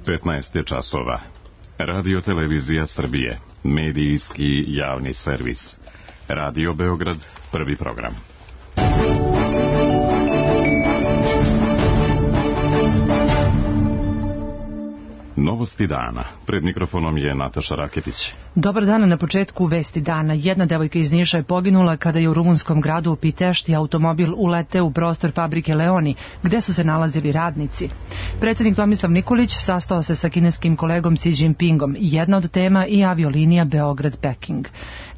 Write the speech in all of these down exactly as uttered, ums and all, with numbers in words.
petnaest je časova. Radio Televizija Srbije, medijski javni servis. Radio Beograd, prvi program. Novosti dana. Pred mikrofonom je Nataša Raketić. Dobar dan. Na početku vesti dana. Jedna devojka iz Niša je poginula kada je u rumunskom gradu u Pitešti automobil uleteo u prostor fabrike Leoni, gde su se nalazili radnici. Predsjednik Tomislav Nikolić sastao se sa kineskim kolegom Xi Jinpingom. Jedna od tema i aviolinija Beograd-Peking.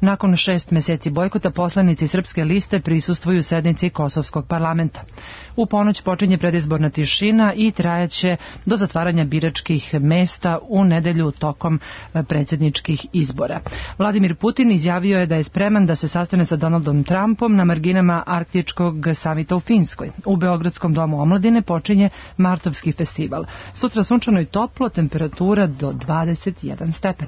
Nakon šest meseci bojkota, poslanici Srpske liste prisustvuju sednici Kosovskog parlamenta. U ponoć počinje predizborna tišina i trajaće do zatvaranja biračkih mesta u nedelju tokom predsjedničkih izbora. Vladimir Putin izjavio je da je spreman da se sastane sa Donaldom Trumpom na marginama Arktičkog samita u Finskoj. U Beogradskom domu omladine počinje Martovski festival. Sutra sunčano i toplo, temperatura do dvadeset jedan stepen.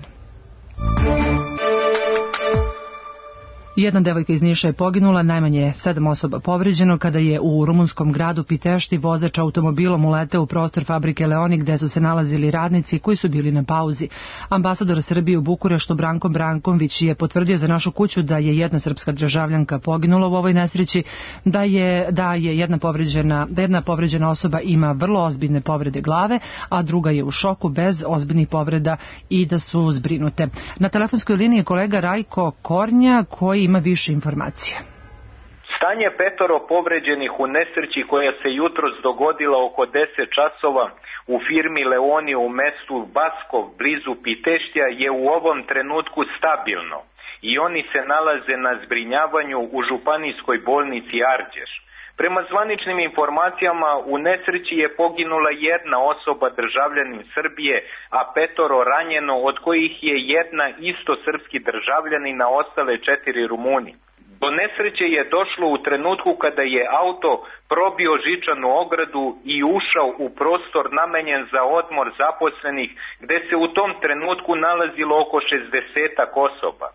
Jedna devojka iz Niša je poginula, najmanje sedam osoba povređeno kada je u rumunskom gradu Pitešti vozač automobilom uleteo u prostor fabrike Leoni gde su se nalazili radnici koji su bili na pauzi. Ambasador Srbije u Bukureštu Branko Branković je potvrdio za našu kuću da je jedna srpska državljanka poginula u ovoj nesreći, da je, da je jedna povređena, da jedna povređena osoba ima vrlo ozbiljne povrede glave, a druga je u šoku bez ozbiljnih povreda i da su zbrinute. Na telefonskoj liniji je kolega Rajko Kornja koji ima više informacija. Stanje petoro povređenih u nesreći koja se jutros dogodila oko deset časova u firmi Leoni u mestu Baskov blizu Piteštija je u ovom trenutku stabilno i oni se nalaze na zbrinjavanju u županijskoj bolnici Arđeš. Prema zvaničnim informacijama u nesreći je poginula jedna osoba, državljanin Srbije, a petoro ranjeno, od kojih je jedna isto srpski državljanin, a ostale četiri Rumuni. Do nesreće je došlo u trenutku kada je auto probio žičanu ogradu i ušao u prostor namenjen za odmor zaposlenih, gde se u tom trenutku nalazilo oko šezdesetak osoba.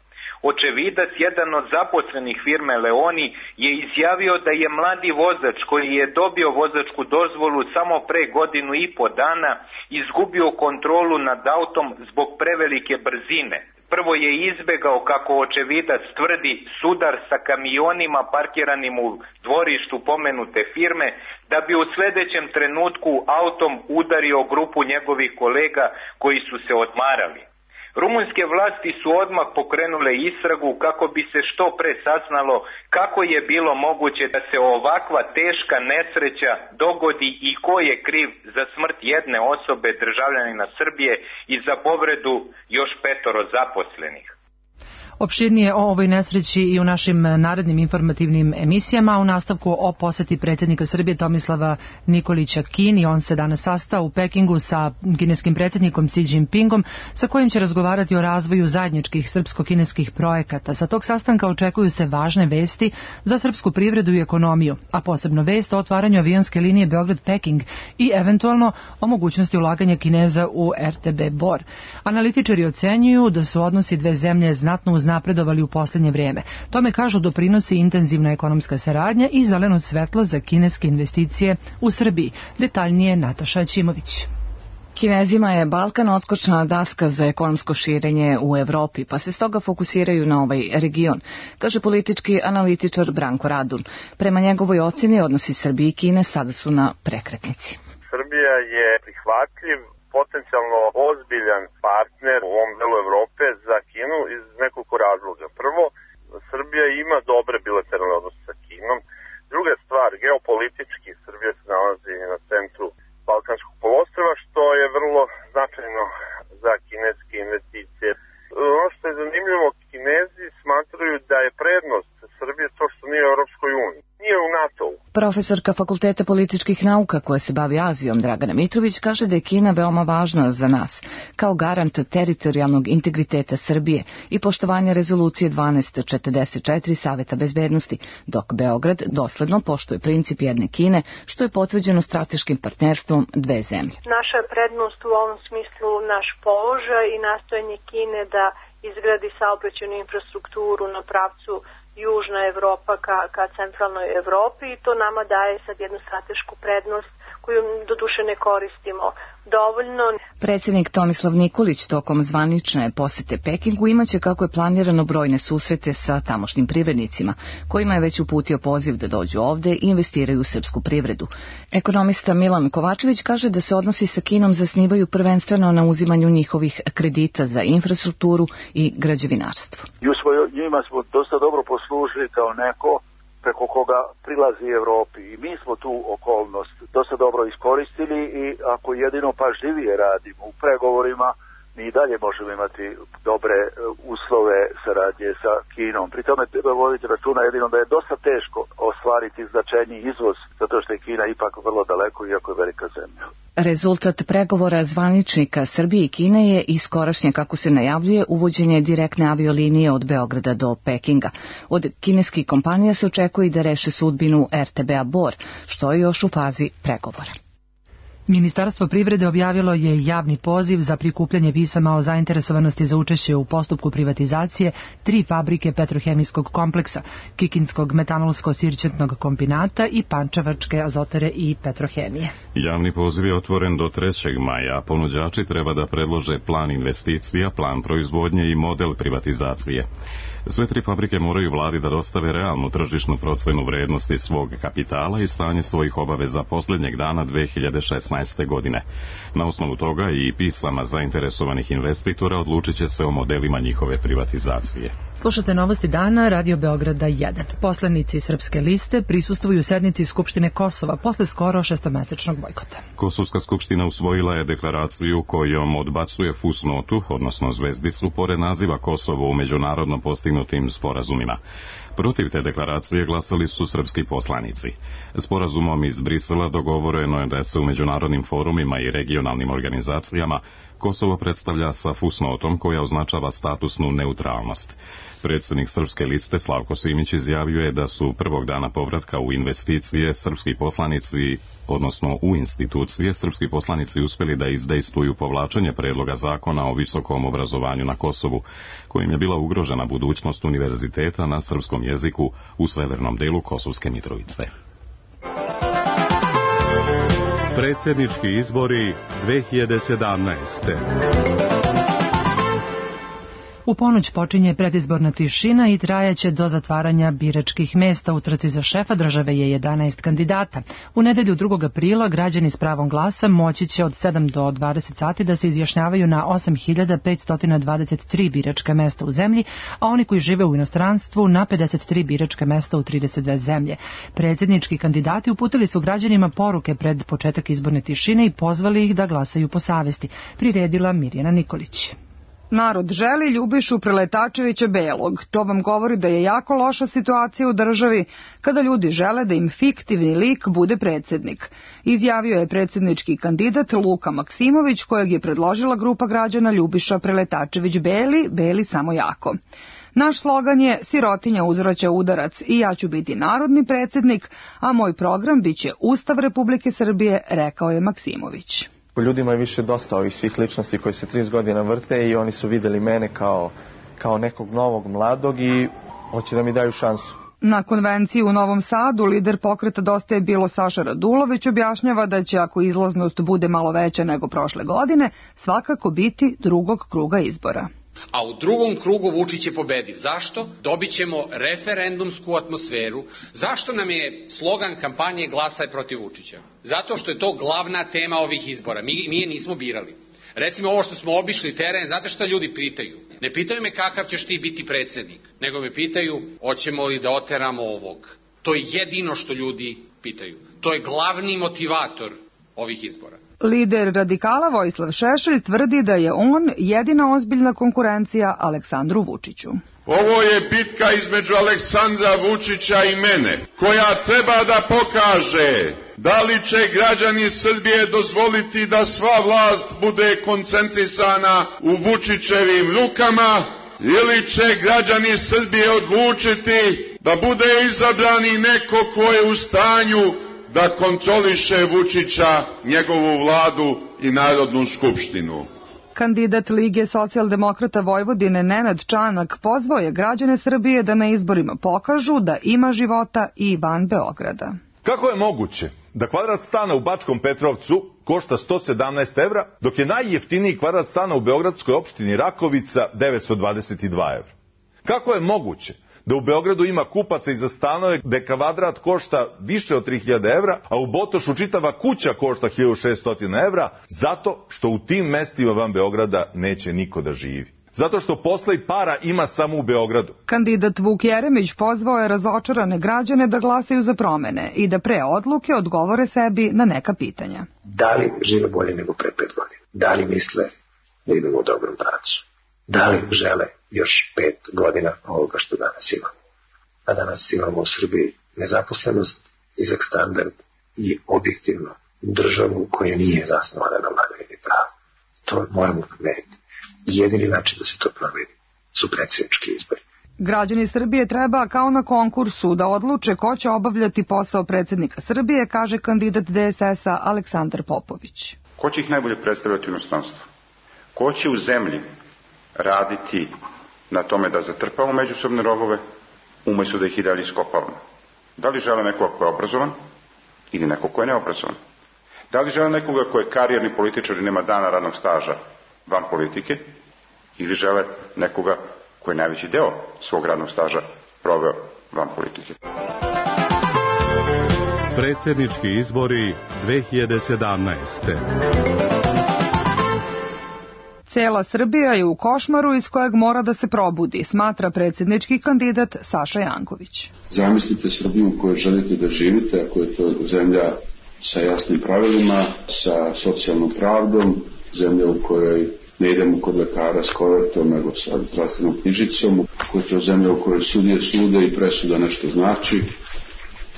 Očevidac, jedan od zaposlenih firme Leoni, je izjavio da je mladi vozač koji je dobio vozačku dozvolu samo pre godinu i po dana izgubio kontrolu nad autom zbog prevelike brzine. Prvo je izbegao, kako očevidac tvrdi, sudar sa kamionima parkiranim u dvorištu pomenute firme, da bi u sledećem trenutku autom udario grupu njegovih kolega koji su se odmarali. Rumunske vlasti su odmah pokrenule istragu kako bi se što pre saznalo kako je bilo moguće da se ovakva teška nesreća dogodi i ko je kriv za smrt jedne osobe, državljanina Srbije, i za povredu još petoro zaposlenih. Opširnije o ovoj nesreći i u našim narednim informativnim emisijama. U nastavku o poseti predsjednika Srbije Tomislava Nikolića Kini. On se danas sastao u Pekingu sa kineskim predsjednikom Xi Jinpingom, sa kojim će razgovarati o razvoju zajedničkih srpsko-kineskih projekata. Sa tog sastanka očekuju se važne vesti za srpsku privredu i ekonomiju, a posebno vest o otvaranju avionske linije Beograd-Peking i eventualno o mogućnosti ulaganja Kineza u R T B Bor. Analitičari ocenjuju da su odnosi dve zemlje znatno napredovali u posljednje vrijeme. Tome, kažu, doprinosi intenzivna ekonomska saradnja i zeleno svetlo za kineske investicije u Srbiji. Detaljnije Nataša Ćimović. Kinezima je Balkan odskočna daska za ekonomsko širenje u Evropi, pa se stoga fokusiraju na ovaj region, kaže politički analitičar Branko Radun. Prema njegovoj ocjeni, odnosi Srbije i Kine sada su na prekretnici. Srbija je prihvatljiv, potencijalno ozbiljan partner u ovom delu Evrope za Kinu iz nekoliko razloga. Prvo, Srbija ima dobre bilateralne odnose sa Kinom. Druga stvar, geopolitički Srbija se nalazi na centru Balkanskog poluostrva, što je vrlo značajno za kineske investicije. Ono što je zanimljivo, Kinezi smatraju da je prednost Srbije to što nije u Europskoj uniji. Nije u NATO-u. Profesorka Fakulteta političkih nauka koja se bavi Azijom, Dragana Mitrović, kaže da je Kina veoma važna za nas, kao garant teritorijalnog integriteta Srbije i poštovanja rezolucije dvanaest četrdeset četiri Saveta bezbednosti, dok Beograd dosledno poštuje princip jedne Kine, što je potvrđeno strateškim partnerstvom dve zemlje. Naša prednost u ovom smislu naš položaj i nastojanje Kine da izgradi saobraćajnu infrastrukturu na pravcu Južna Evropa ka, ka centralnoj Evropi i to nama daje sad jednu stratešku prednost koju doduše ne koristimo dovoljno. Predsjednik Tomislav Nikolić tokom zvanične posete Pekingu imaće, kako je planirano, brojne susrete sa tamošnjim privrednicima, kojima je već uputio poziv da dođu ovde i investiraju u srpsku privredu. Ekonomista Milan Kovačević kaže da se odnosi sa Kinom zasnivaju prvenstveno na uzimanju njihovih kredita za infrastrukturu i građevinarstvo. I u svojoj njima smo dosta dobro poslužili kao neko preko koga prilazi Evropi i mi smo tu okolnost dosta dobro iskoristili i ako jedino pažljivije radimo u pregovorima, mi i dalje možemo imati dobre uslove saradnje sa Kinom. Pri tome treba voditi računa jedino da je dosta teško ostvariti značajni izvoz, zato što je Kina ipak vrlo daleko, iako je velika zemlja. Rezultat pregovora zvaničnika Srbije i Kine je i skorašnje, kako se najavljuje, uvođenje direktne aviolinije od Beograda do Pekinga. Od kineskih kompanija se očekuje da reše sudbinu er te be a Bor, što je još u fazi pregovora. Ministarstvo privrede objavilo je javni poziv za prikupljanje pisama o zainteresovanosti za učešće u postupku privatizacije tri fabrike petrohemijskog kompleksa, Kikinskog metanolsko-sirćetnog kombinata i Pančevačke azotere i petrohemije. Javni poziv je otvoren do trećeg maja, a ponuđači treba da predlože plan investicija, plan proizvodnje i model privatizacije. Sve tri fabrike moraju vladi da dostave realnu tržišnu procenu vrednosti svog kapitala i stanje svojih obaveza posljednjeg dana dve hiljade šesnaeste. godine. Na osnovu toga i pisama zainteresovanih investitora odlučit će se o modelima njihove privatizacije. Slušate novosti dana Radio Beograda jedan. Poslanici Srpske liste prisustvuju sednici Skupštine Kosova posle skoro šestomesečnog bojkota. Kosovska skupština usvojila je deklaraciju kojom odbacuje fusnotu, odnosno zvezdicu, pored naziva Kosovo u međunarodno postignutim sporazumima. Protiv te deklaracije glasali su srpski poslanici. Sporazumom iz Brisela dogovoreno je da se u međunarodnim forumima i regionalnim organizacijama Kosovo predstavlja sa fusnotom koja označava statusnu neutralnost. Predsjednik Srpske liste Slavko Simić izjavio je da su prvog dana povratka u investicije srpski poslanici, odnosno u institucije, srpski poslanici uspjeli da izdejstvuju povlačenje predloga zakona o visokom obrazovanju na Kosovu, kojim je bila ugrožena budućnost univerziteta na srpskom jeziku u severnom delu Kosovske Mitrovice. Predsjednički izbori dve hiljade sedamnaeste. U ponoć počinje predizborna tišina i trajaće do zatvaranja biračkih mesta. U trci za šefa države je jedanaest kandidata. U nedelju drugog aprila građani s pravom glasa moći će od sedam do dvadeset sati da se izjašnjavaju na osam hiljada petsto dvadeset tri biračka mesta u zemlji, a oni koji žive u inostranstvu na pedeset tri biračka mesta u trideset dve zemlje. Predsjednički kandidati uputili su građanima poruke pred početak izborne tišine i pozvali ih da glasaju po savesti, priredila Mirjana Nikolić. Narod želi Ljubišu Preletačevića Belog. To vam govori da je jako loša situacija u državi kada ljudi žele da im fiktivni lik bude predsjednik. Izjavio je predsjednički kandidat Luka Maksimović, kojeg je predložila grupa građana Ljubiša Preletačević Beli, Beli samo jako. Naš slogan je sirotinja uzvraća udarac i ja ću biti narodni predsjednik, a moj program biće Ustav Republike Srbije, rekao je Maksimović. Ljudima je više dosta ovih svih ličnosti koji se trideset godina vrte i oni su vidjeli mene kao, kao nekog novog mladog i hoće da mi daju šansu. Na konvenciji u Novom Sadu lider pokreta Dosta je bilo Saša Radulović objašnjava da će, ako izlaznost bude malo veća nego prošle godine, svakako biti drugog kruga izbora. A u drugom krugu Vučić je pobediv. Zašto? Dobit ćemo referendumsku atmosferu. Zašto nam je slogan kampanje Glasaj protiv Vučića? Zato što je to glavna tema ovih izbora. Mi, mi je nismo birali. Recimo ovo što smo obišli teren, znate šta ljudi pitaju? Ne pitaju me kakav ćeš ti biti predsjednik, nego me pitaju hoćemo li da oteramo ovog. To je jedino što ljudi pitaju. To je glavni motivator ovih izbora. Lider radikala Vojislav Šešelj tvrdi da je on jedina ozbiljna konkurencija Aleksandru Vučiću. Ovo je bitka između Aleksandra Vučića i mene, koja treba da pokaže da li će građani Srbije dozvoliti da sva vlast bude koncentrisana u Vučićevim rukama, ili će građani Srbije odlučiti da bude izabrani neko ko je u stanju da kontroliše Vučića, njegovu vladu i Narodnu skupštinu. Kandidat Lige socijaldemokrata Vojvodine Nenad Čanak pozvao je građane Srbije da na izborima pokažu da ima života i van Beograda. Kako je moguće da kvadrat stana u Bačkom Petrovcu košta sto sedamnaest evra, dok je najjeftiniji kvadrat stana u beogradskoj opštini Rakovica devetsto dvadeset dva evra. Kako je moguće da u Beogradu ima kupaca i za stanove gde kvadrat košta više od tri hiljade evra, a u Botošu čitava kuća košta hiljadu šessto evra, zato što u tim mestima van Beograda neće niko da živi. Zato što posla i para ima samo u Beogradu. Kandidat Vuk Jeremić pozvao je razočarane građane da glasaju za promene i da pre odluke odgovore sebi na neka pitanja. Da li žive bolje nego pre pet godina? Da li misle da idemo u dobrom pravcu? Da li žele još pet godina ovoga što danas imamo? A danas imamo u Srbiji nezaposlenost, nizak standard i objektivno državu koja nije zasnovana na vladavini prava. To moramo promeniti. Jedini način da se to promeni su predsjednički izbori. Građani Srbije treba kao na konkursu da odluče ko će obavljati posao predsjednika Srbije, kaže kandidat D S S-a Aleksandar Popović. Ko će ih najbolje predstavljati u inostranstvu? Ko će u zemlji raditi na tome da zatrpamo međusobne rovove, umesto da ih i dalje iskopavamo? Da li žele nekoga ko je obrazovan ili nekog ko je neobrazovan? Da li žele nekoga ko je karijerni političar i nema dana radnog staža van politike, ili žele nekoga koji je najveći deo svog radnog staža proveo van politike? Predsjednički izbori dve hiljade sedamnaeste. Cela Srbija je u košmaru iz kojeg mora da se probudi, smatra predsjednički kandidat Saša Janković. Zamislite Srbiju u kojoj želite da živite, ako je to zemlja sa jasnim pravilima, sa socijalnom pravdom, zemlja u kojoj ne idemo kod lekara s kovertom, nego sa zdravstvenom knjižicom, ako je to zemlja u kojoj sudije sude i presuda nešto znači,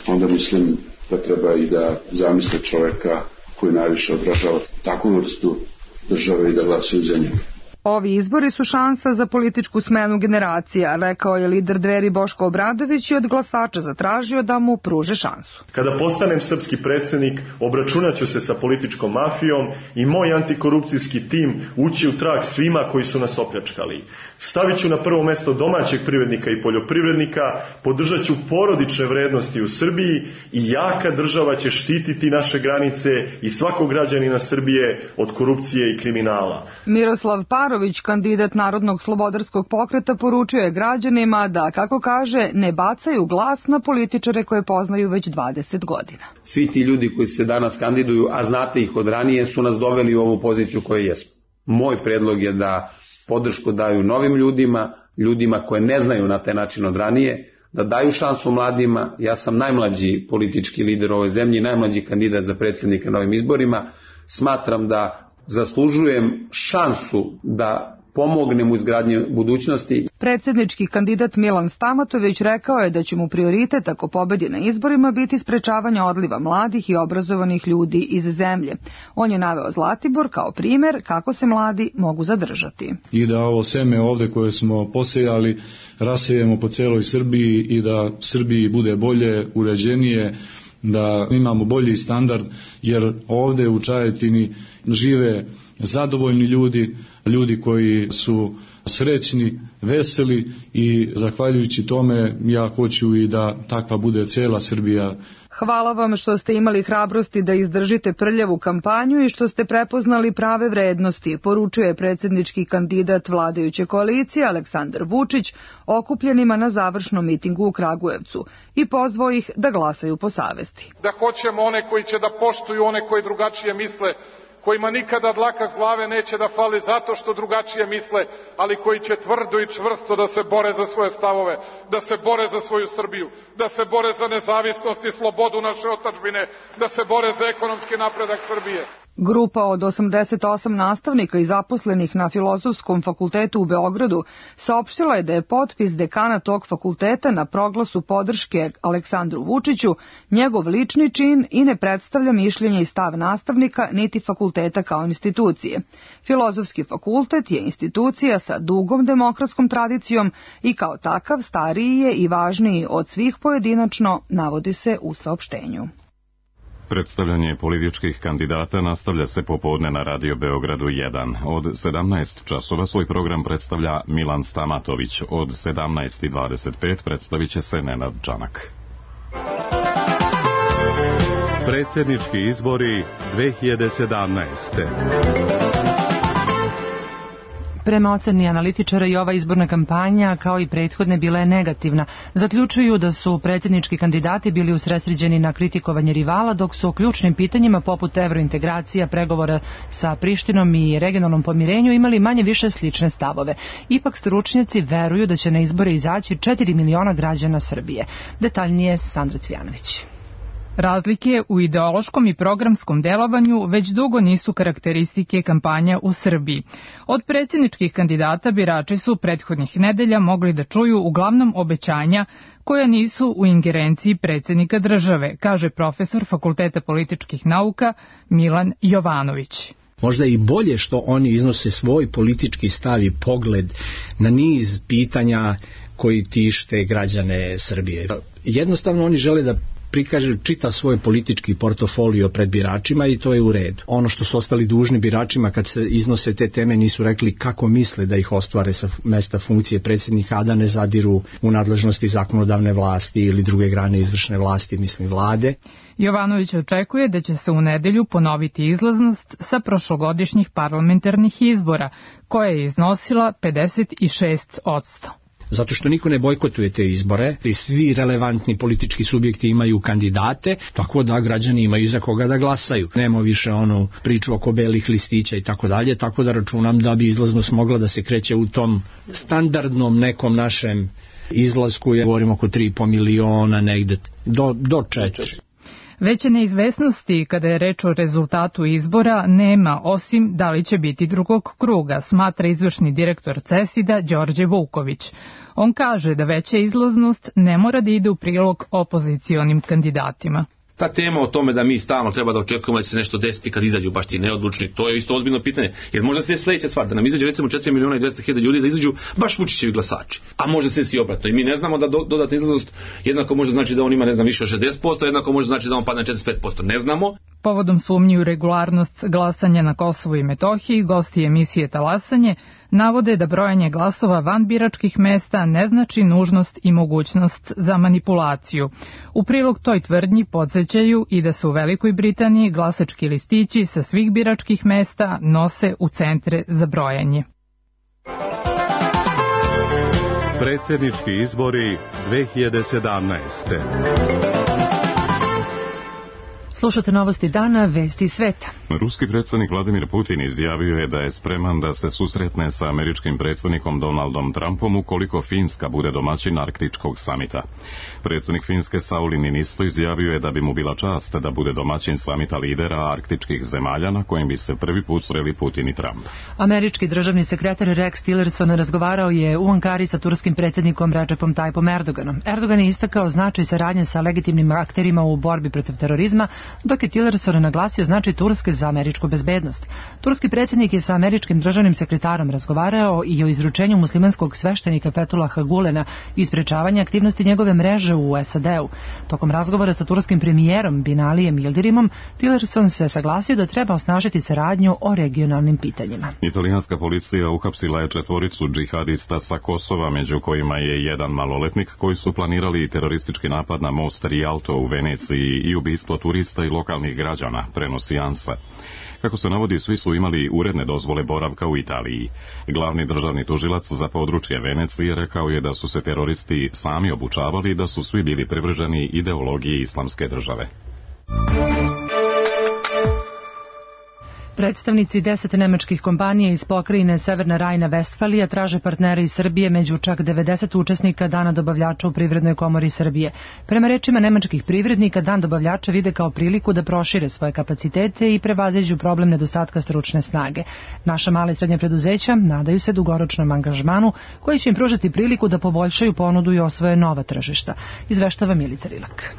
onda mislim da treba i da zamisle čoveka koji najviše odražava takvu vrstu države i da glasaju za njega. Ovi izbori su šansa za političku smenu generacija, rekao je lider Dveri Boško Obradović i od glasača zatražio da mu pruže šansu. Kada postanem srpski predsjednik, obračunaću se sa političkom mafijom i moj antikorupcijski tim ući u trag svima koji su nas opljačkali. Stavit ću na prvo mesto domaćeg privrednika i poljoprivrednika, podržat ću porodične vrednosti u Srbiji i jaka država će štititi naše granice i svakog građanina Srbije od korupcije i kriminala. Miroslav Parović, kandidat Narodnog slobodarskog pokreta, poručio je građanima da, kako kaže, ne bacaju glas na političare koje poznaju već dvadeset godina. Svi ti ljudi koji se danas kandiduju, a znate ih od ranije, su nas doveli u ovu poziciju koju jesmo. Moj predlog je da podršku daju novim ljudima, ljudima koje ne znaju na taj način od ranije, da daju šansu mladima. Ja sam najmlađi politički lider u ovoj zemlji, najmlađi kandidat za predsjednika na ovim izborima. Smatram da zaslužujem šansu da pomognem u izgradnji budućnosti. Predsjednički kandidat Milan Stamatović rekao je da će mu prioritet, ako pobedi na izborima, biti sprečavanje odliva mladih i obrazovanih ljudi iz zemlje. On je naveo Zlatibor kao primjer kako se mladi mogu zadržati. I da ovo seme ovde koje smo posejali rasejemo po celoj Srbiji i da Srbiji bude bolje, uređenije, da imamo bolji standard, jer ovde u Čajetini žive zadovoljni ljudi, ljudi koji su srećni, veseli i zahvaljujući tome ja hoću i da takva bude cela Srbija. Hvala vam što ste imali hrabrosti da izdržite prljavu kampanju i što ste prepoznali prave vrednosti, poručuje predsjednički kandidat vladajuće koalicije Aleksandar Vučić okupljenima na završnom mitingu u Kragujevcu i pozvao ih da glasaju po savesti. Da hoćemo one koji će da poštuju one koji drugačije misle, kojima nikada dlaka s glave neće da fali zato što drugačije misle, ali koji će tvrdo i čvrsto da se bore za svoje stavove, da se bore za svoju Srbiju, da se bore za nezavisnost i slobodu naše otadžbine, da se bore za ekonomski napredak Srbije. Grupa od osamdeset osam nastavnika i zaposlenih na Filozofskom fakultetu u Beogradu saopštila je da je potpis dekana tog fakulteta na proglasu podrške Aleksandru Vučiću njegov lični čin i ne predstavlja mišljenje i stav nastavnika niti fakulteta kao institucije. Filozofski fakultet je institucija sa dugom demokratskom tradicijom i kao takav stariji je i važniji od svih pojedinačno, navodi se u saopštenju. Predstavljanje političkih kandidata nastavlja se popodne na Radio Beogradu jedan. Od sedamnaest časova svoj program predstavlja Milan Stamatović. Od sedamnaest i dvadeset pet predstavit će se Nenad Čanak. Predsjednički izbori dve hiljade sedamnaeste. Prema oceni analitičara i ova izborna kampanja, kao i prethodne, bila je negativna. Zaključuju da su predsjednički kandidati bili usredsređeni na kritikovanje rivala, dok su o ključnim pitanjima poput evrointegracija, pregovora sa Prištinom i regionalnom pomirenju imali manje više slične stavove. Ipak stručnjaci veruju da će na izbore izaći četiri miliona građana Srbije. Detaljnije Sandra Cvijanović. Razlike u ideološkom i programskom delovanju već dugo nisu karakteristike kampanja u Srbiji. Od predsjedničkih kandidata birači su prethodnih nedelja mogli da čuju uglavnom obećanja koja nisu u ingerenciji predsjednika države, kaže profesor Fakulteta političkih nauka Milan Jovanović. Možda i bolje što oni iznose svoj politički stav i pogled na niz pitanja koji tište građane Srbije. Jednostavno oni žele da prikaže čitav svoj politički portofolio pred biračima i to je u redu. Ono što su ostali dužni biračima kad se iznose te teme nisu rekli kako misle da ih ostvare sa mesta funkcije predsjednika, a da ne zadiru u nadležnosti zakonodavne vlasti ili druge grane izvršne vlasti, mislim vlade. Jovanović očekuje da će se u nedelju ponoviti izlaznost sa prošlogodišnjih parlamentarnih izbora, koja je iznosila pedeset šest posto. Zato što niko ne bojkotuje te izbore i svi relevantni politički subjekti imaju kandidate, tako da građani imaju za koga da glasaju. Nema više onu priču oko belih listića i tako dalje, tako da računam da bi izlaznost mogla da se kreće u tom standardnom nekom našem izlasku, ja govorim oko tri i po miliona negde do, do četiri. Veće neizvesnosti kada je reč o rezultatu izbora nema, osim da li će biti drugog kruga, smatra izvršni direktor CESID-a Đorđe Vuković. On kaže da veća izlaznost ne mora da ide u prilog opozicionim kandidatima. Ta tema o tome da mi stalno treba da očekujemo da će se nešto desiti kad izađu baš ti neodlučni, to je isto ozbiljno pitanje. Jer možda se sljedeća stvar, da nam izađe recimo četiri miliona i dvesta hiljada ljudi da izađu baš Vučićevi glasači. A može se i obratno. I mi ne znamo da do, dodatna izlaznost jednako može znači da on ima ne znam više od šezdeset posto, jednako može znači da on padne četrdeset pet posto. Ne znamo. Povodom sumnji u regularnost glasanja na Kosovu i Metohiji, gosti emisije Talasanje navode da brojanje glasova van biračkih mesta ne znači nužnost i mogućnost za manipulaciju. U prilog toj tvrdnji podsjećaju i da se u Velikoj Britaniji glasački listići sa svih biračkih mesta nose u centre za brojanje. Predsjednički izbori dve hiljade sedamnaeste. Slušate novosti dana, vesti sveta. Ruski predsjednik Vladimir Putin izjavio je da je spreman da se susretne sa američkim predsjednikom Donaldom Trumpom ukoliko Finska bude domaćin Arktičkog samita. Predsjednik Finske Sauli Niinisto izjavio je da bi mu bila čast da bude domaćin samita lidera arktičkih zemalja na kojem bi se prvi put sreli Putin i Trump. Američki državni sekretar Rex Tillerson razgovarao je u Ankari sa turskim predsjednikom Recepom Tayyipom Erdoganom. Erdogan je istakao značaj saradnje sa legitimnim akterima u borbi protiv terorizma, dok je Tillerson naglasio značaj Turske za američku bezbednost. Turski predsjednik je sa američkim državnim sekretarom razgovarao i o izručenju muslimanskog sveštenika Fethullaha Gulena i sprečavanja aktivnosti njegove mreže u S A D-u. Tokom razgovora sa turskim premijerom Binalijem Yildirimom, Tillerson se saglasio da treba osnažiti saradnju o regionalnim pitanjima. Italijanska policija uhapsila je četvoricu džihadista sa Kosova, među kojima je jedan maloletnik koji su planirali teroristički napad na most Rialto u Veneciji i ubistvo turista i lokalnih građana, prenosi ANSA. Kako se navodi, svi su imali uredne dozvole boravka u Italiji. Glavni državni tužilac za područje Venecije rekao je da su se teroristi sami obučavali i da su svi bili privrženi ideologiji islamske države. Predstavnici deset nemačkih kompanija iz pokrajine Severna Rajna-Vestfalija traže partnere iz Srbije među čak devedeset učesnika Dana dobavljača u Privrednoj komori Srbije. Prema rečima nemačkih privrednika, Dan dobavljača vide kao priliku da prošire svoje kapacitete i prevaziđu problem nedostatka stručne snage. Naša mala i srednja preduzeća nadaju se dugoročnom angažmanu koji će im pružiti priliku da poboljšaju ponudu i osvoje nova tržišta. Izveštava Milica Rilak.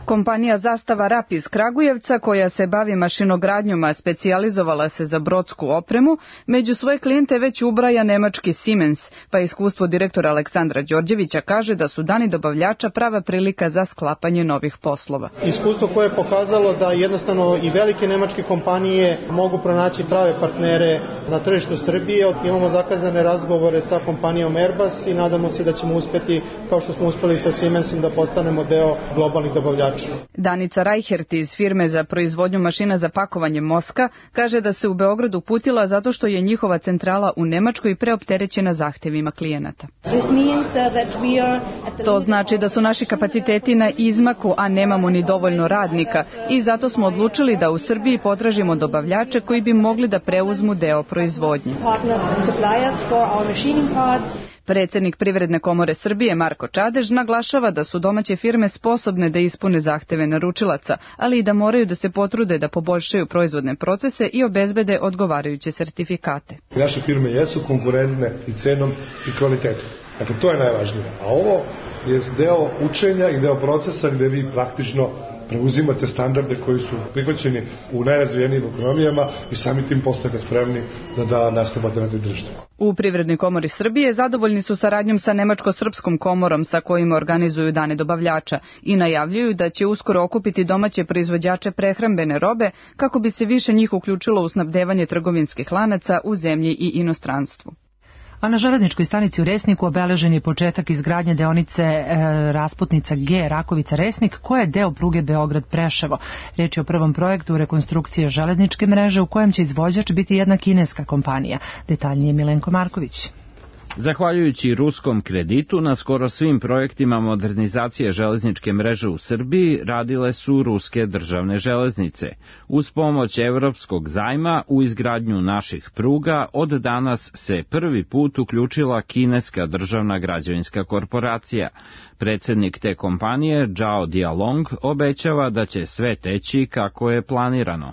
Kompanija Zastava Rap iz Kragujevca, koja se bavi mašinogradnjom, a specijalizovala se za brodsku opremu, među svoje klijente već ubraja nemački Siemens, pa iskustvo direktora Aleksandra Đorđevića kaže da su Dani dobavljača prava prilika za sklapanje novih poslova. Iskustvo koje je pokazalo da jednostavno i velike nemačke kompanije mogu pronaći prave partnere na tržištu Srbije. Imamo zakazane razgovore sa kompanijom Airbus i nadamo se da ćemo uspjeti, kao što smo uspeli sa Siemensom, da postanemo deo globalnih dobavljača. tačno. Danica Reichert iz firme za proizvodnju mašina za pakovanje Moska kaže da se u Beograd uputila zato što je njihova centrala u Nemačkoj preopterećena zahtevima klijenata. To znači da su naši kapaciteti na izmaku, a nemamo ni dovoljno radnika i zato smo odlučili da u Srbiji potražimo dobavljače koji bi mogli da preuzmu deo proizvodnje. Predsednik Privredne komore Srbije Marko Čadež naglašava da su domaće firme sposobne da ispune zahteve naručilaca, ali i da moraju da se potrude da poboljšaju proizvodne procese i obezbede odgovarajuće sertifikate. Naše firme jesu konkurentne i cenom i kvalitetom. Dakle, to je najvažnije. A ovo je deo učenja i deo procesa gde vi praktično preuzimate standarde koji su prihvaćeni u najrazvijenijim ekonomijama i sami tim postajete spremni da, da nastupate na tim tržištima. U Privrednoj komori Srbije zadovoljni su saradnjom sa Nemačko-srpskom komorom sa kojima organizuju dane dobavljača i najavljuju da će uskoro okupiti domaće proizvođače prehrambene robe kako bi se više njih uključilo u snabdevanje trgovinskih lanaca u zemlji i inostranstvu. A na železničkoj stanici u Resniku obeležen je početak izgradnje deonice e, Rasputnica G Rakovica-Resnik, koja je deo pruge Beograd-Preševo. Riječ je o prvom projektu rekonstrukcije železničke mreže u kojem će izvođač biti jedna kineska kompanija. Detaljnije Milenko Marković. Zahvaljujući ruskom kreditu, na skoro svim projektima modernizacije železničke mreže u Srbiji radile su ruske državne železnice. Uz pomoć evropskog zajma u izgradnju naših pruga od danas se prvi put uključila kineska državna građevinska korporacija. Predsednik te kompanije, Zhao Dialong, obećava da će sve teći kako je planirano.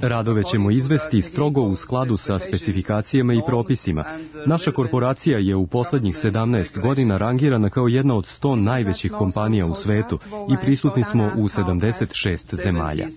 Radove ćemo izvesti strogo u skladu sa specifikacijama i propisima. Naša korporacija je u poslednjih sedamnaest godina rangirana kao jedna od sto najvećih kompanija u svetu i prisutni smo u sedamdeset šest zemalja.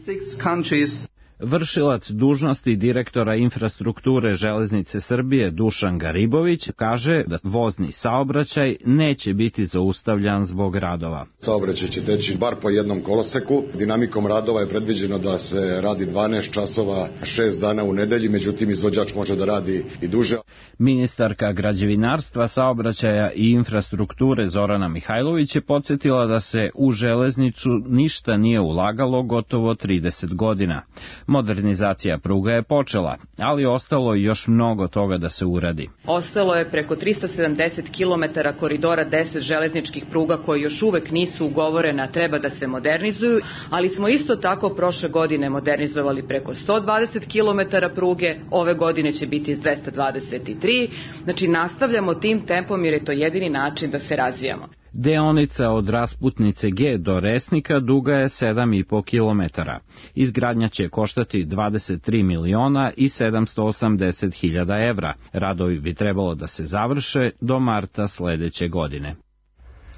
Vršilac dužnosti direktora infrastrukture Železnice Srbije Dušan Garibović kaže da vozni saobraćaj neće biti zaustavljan zbog radova. Saobraćaj će teći bar po jednom koloseku. Dinamikom radova je predviđeno da se radi dvanaest časova, šest dana u nedelji, međutim izvođač može da radi i duže. Ministarka građevinarstva, saobraćaja i infrastrukture Zorana Mihajlović je podsjetila da se u železnicu ništa nije ulagalo gotovo trideset godina. Modernizacija pruga je počela, ali ostalo je još mnogo toga da se uradi. Ostalo je preko trista sedamdeset kilometara koridora deset železničkih pruga koje još uvek nisu ugovorene, a treba da se modernizuju, ali smo isto tako prošle godine modernizovali preko sto dvadeset kilometara pruge, ove godine će biti dvesta dvadeset tri, znači nastavljamo tim tempom jer je to jedini način da se razvijamo. Deonica od Rasputnice G do Resnika duga je sedam i po kilometara. Izgradnja će koštati dvadeset tri miliona i sedamsto osamdeset hiljada evra. Radovi bi trebalo da se završe do marta sledeće godine.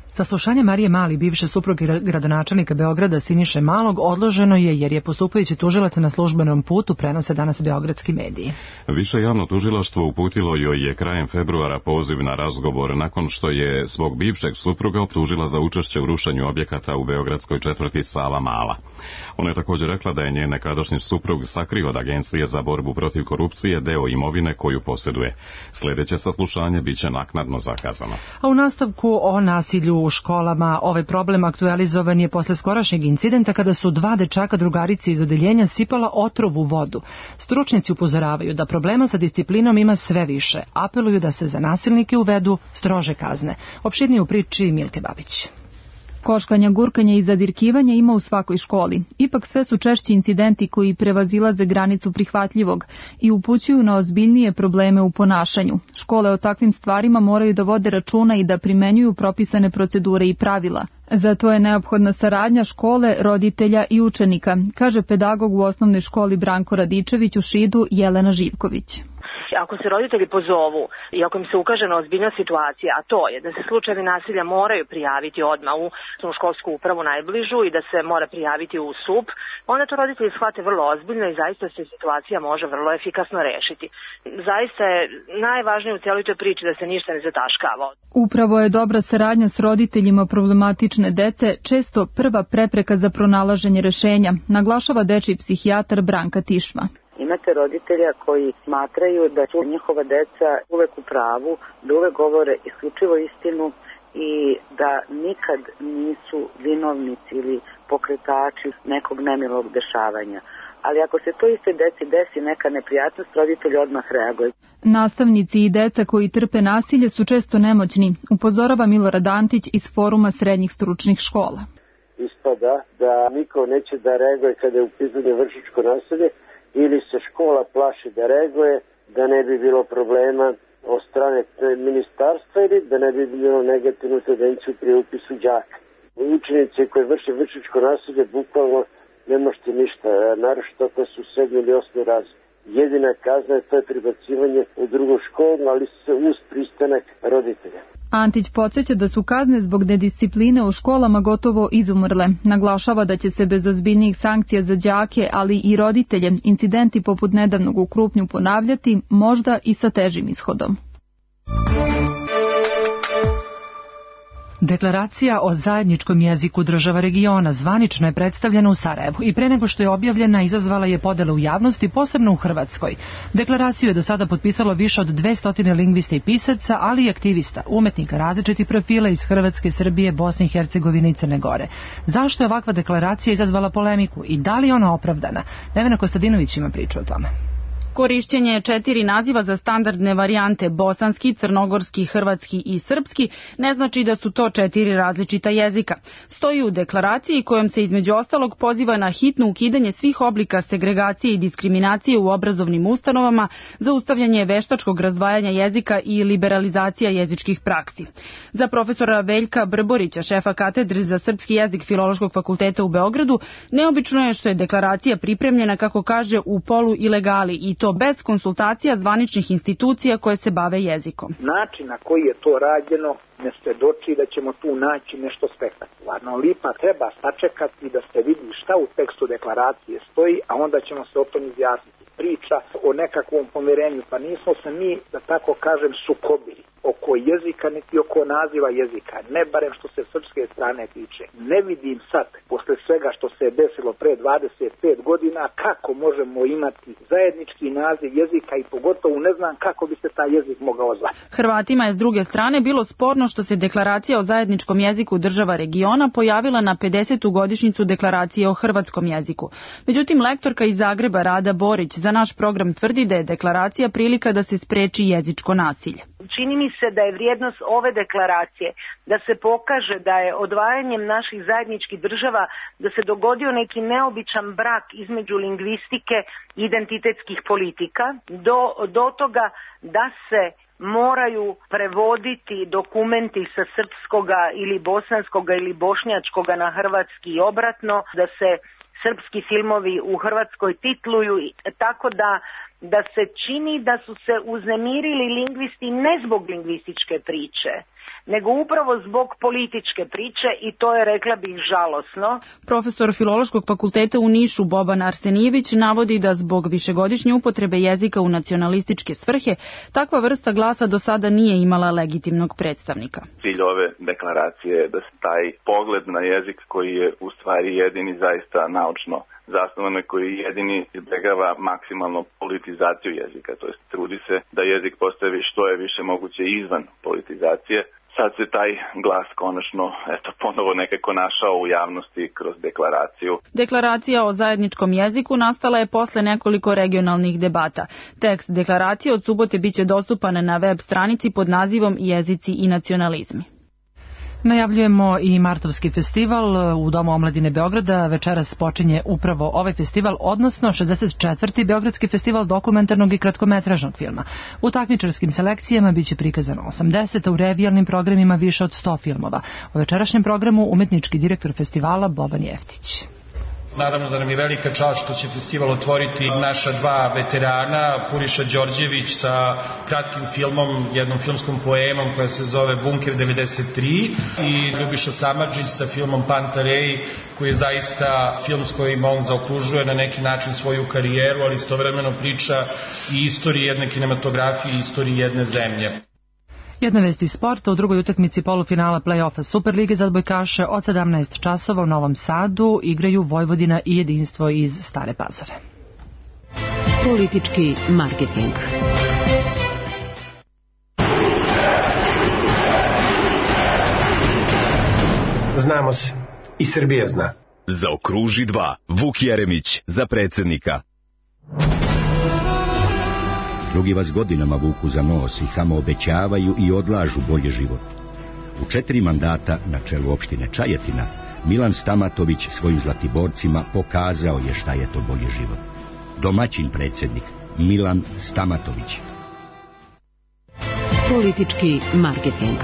Saslušanje Marije Mali, bivše supruge gradonačelnika Beograda Siniše Malog, odloženo je jer je postupajući tužilac na službenom putu, prenose danas beogradski mediji. Više javno tužilaštvo uputilo joj je krajem februara poziv na razgovor nakon što je svog bivšeg supruga optužila za učešće u rušenju objekata u beogradskoj četvrti Sava Mala. Ona je također rekla da je njen nekadašnji suprug sakrio od Agencije za borbu protiv korupcije deo imovine koju posjeduje. Sljedeće saslušanje biće naknadno zakazano. A u nastavku o nasilju u školama, ovaj problem aktualizovan je posle skorašnjeg incidenta kada su dva dečaka drugarice iz odeljenja sipala otrov u vodu. Stručnjaci upozoravaju da problema sa disciplinom ima sve više. Apeluju da se za nasilnike uvedu strože kazne. Opširnije u priči Milke Babić. Koškanja, gurkanja i zadirkivanja ima u svakoj školi. Ipak sve su češći incidenti koji prevazilaze granicu prihvatljivog i upućuju na ozbiljnije probleme u ponašanju. Škole o takvim stvarima moraju da vode računa i da primenjuju propisane procedure i pravila. Zato je neophodna saradnja škole, roditelja i učenika, kaže pedagog u osnovnoj školi Branko Radičević u Šidu Jelena Živković. Ako se roditelji pozovu i ako im se ukaže na ozbiljna situacija, a to je da se slučajevi nasilja moraju prijaviti odmah u školsku upravu najbližu i da se mora prijaviti u S U P, onda to roditelji shvate vrlo ozbiljno i zaista se situacija može vrlo efikasno rešiti. Zaista je najvažnije u cijeloj toj priči da se ništa ne zataškava. Upravo je dobra saradnja s roditeljima problematične dece često prva prepreka za pronalaženje rešenja, naglašava dečiji psihijatar Branka Tišma. Imate roditelja koji smatraju da su njihova deca uvek u pravu, da uvek govore isključivo istinu i da nikad nisu vinovnici ili pokretači nekog nemilog dešavanja. Ali ako se to iste deci desi neka neprijatnost, roditelji odmah reaguju. Nastavnici i deca koji trpe nasilje su često nemoćni, upozorava Milorad Antić iz Foruma srednjih stručnih škola. Ispada da niko neće da reaguje kada je u pitanju vršnjačko nasilje ili se škola plaši da reaguje, da ne bi bilo problema od strane ministarstva ili da ne bi bilo negativnu tendenciju pri upisu đaka. Učenici koji vrše vršnjačko nasilje bukvalno ne možete ništa, naročito ako su u sedmi ili osmi razred. Jedina kazna je to je prebacivanje u drugu školu, ali se uz pristanak roditelja. Antić podsjeća da su kazne zbog nediscipline u školama gotovo izumrle. Naglašava da će se bez ozbiljnijih sankcija za đake, ali i roditelje, incidenti poput nedavnog u Krupnju ponavljati, možda i sa težim ishodom. Deklaracija o zajedničkom jeziku država regiona zvanično je predstavljena u Sarajevu i pre nego što je objavljena izazvala je podele u javnosti, posebno u Hrvatskoj. Deklaraciju je do sada potpisalo više od dvesta lingvista i pisaca, ali i aktivista, umetnika različitih profila iz Hrvatske, Srbije, Bosne i Hercegovine i Crne Gore. Zašto je ovakva deklaracija izazvala polemiku i da li je ona opravdana? Nevena Kostadinović ima priču o tome. Korišćenje četiri naziva za standardne varijante bosanski, crnogorski, hrvatski i srpski ne znači da su to četiri različita jezika. Stoji u deklaraciji kojom se između ostalog poziva na hitno ukidanje svih oblika segregacije i diskriminacije u obrazovnim ustanovama, zaustavljanje veštačkog razdvajanja jezika i liberalizacija jezičkih praksi. Za profesora Veljka Brborića, šefa katedre za srpski jezik Filološkog fakulteta u Beogradu, neobično je što je deklaracija pripremljena, kako kaže, u polu ilegali i to bez konsultacija zvaničnih institucija koje se bave jezikom. Način na koji je to rađeno ne svedoči da ćemo tu naći nešto spektakularno. Lipa treba sačekati da se vidi šta u tekstu deklaracije stoji, a onda ćemo se o tom izjasniti. Priča o nekakvom pomirenju, pa nismo se mi, da tako kažem, sukobili oko jezika niti oko naziva jezika, ne barem što se srpske strane tiče. Ne vidim sad, posle svega što se je desilo pre dvadeset pet godina, kako možemo imati zajednički naziv jezika i pogotovo ne znam kako bi se taj jezik mogao zvati. Hrvatima je s druge strane bilo sporno što se deklaracija o zajedničkom jeziku država regiona pojavila na pedesetu godišnjicu deklaracije o hrvatskom jeziku. Međutim, lektorka iz Zagreba Rada Borić za naš program tvrdi da je deklaracija prilika da se spreči jezičko nasilje. Čini mi se da je vrijednost ove deklaracije da se pokaže da je odvajanjem naših zajedničkih država da se dogodio neki neobičan brak između lingvistike i identitetskih politika do, do toga da se moraju prevoditi dokumenti sa srpskoga ili bosanskoga ili bošnjačkoga na hrvatski i obratno, da se srpski filmovi u Hrvatskoj titluju, tako da da se čini da su se uznemirili lingvisti ne zbog lingvističke priče, nego upravo zbog političke priče i to je, rekla bih, žalosno. Profesor Filološkog fakulteta u Nišu Boban Arsenijević navodi da zbog višegodišnje upotrebe jezika u nacionalističke svrhe takva vrsta glasa do sada nije imala legitimnog predstavnika. Cilj ove deklaracije je da se taj pogled na jezik koji je u stvari jedini zaista naučno zasnovano, koji jedini izbjegava maksimalno politizaciju jezika, to jest trudi se da jezik postavi što je više moguće izvan politizacije. Sad se taj glas konačno eto, ponovo nekako našao u javnosti kroz deklaraciju. Deklaracija o zajedničkom jeziku nastala je posle nekoliko regionalnih debata. Tekst deklaracije od subote biće dostupan na web stranici pod nazivom Jezici i nacionalizmi. Najavljujemo i Martovski festival u Domu omladine Beograda. Večeras počinje upravo ovaj festival, odnosno šezdeset četvrti Beogradski festival dokumentarnog i kratkometražnog filma. U takmičarskim selekcijama biće prikazano osamdeset, a u revijalnim programima više od sto filmova. U večerašnjem programu umetnički direktor festivala Boban Jeftić. Naravno da nam je velika čast što će festival otvoriti naša dva veterana, Puriša Đorđević sa kratkim filmom, jednom filmskom poemom koja se zove Bunker devedeset tri i Ljubiša Samardžić sa filmom Pantarej, koji je zaista film s kojim on zaokružuje na neki način svoju karijeru, ali istovremeno priča i istoriji jedne kinematografije i istoriji jedne zemlje. Jedna vest iz sporta, u drugoj utakmici polufinala play-offa Superlige za odbojkaše od sedamnaest časova u Novom Sadu igraju Vojvodina i Jedinstvo iz Stare Pazove. Politički marketing. Znamo se. I Srbija zna. Zaokruži dva. Vuk Jeremić za predsjednika. Drugi vas godinama vuku za nos i samo obećavaju i odlažu bolje život. U četiri mandata na čelu opštine Čajetina Milan Stamatović svojim zlatiborcima pokazao je šta je to bolji život. Domaćin predsjednik Milan Stamatović. Politički marketing.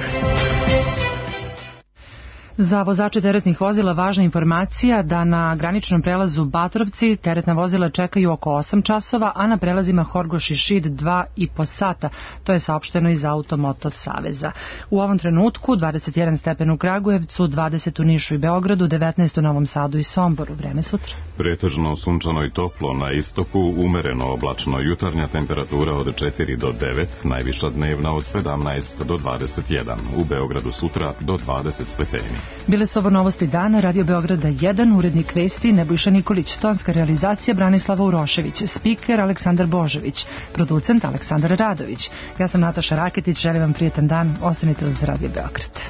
Za vozače teretnih vozila važna informacija da na graničnom prelazu Batrovci teretna vozila čekaju oko osam časova, a na prelazima Horgoš i Šid dva i po sata. To je saopšteno iz Automoto saveza. U ovom trenutku dvadeset jedan stepen u Kragujevcu, dvadeset u Nišu i Beogradu, devetnaest u Novom Sadu i Somboru. Vreme sutra. Pretežno sunčano i toplo, na istoku umereno oblačno, jutarnja temperatura od četiri do devet, najviša dnevna od sedamnaest do dvadeset jedan. U Beogradu sutra do dvadeset stepeni. Bile su ovo novosti dana, Radio Beograda jedan, urednik vesti Nebojša Nikolić, tonska realizacija Branislava Urošević, spiker Aleksandar Božović, producent Aleksandar Radović. Ja sam Nataša Raketić, želim vam prijetan dan, ostanite uz Radio Beograd.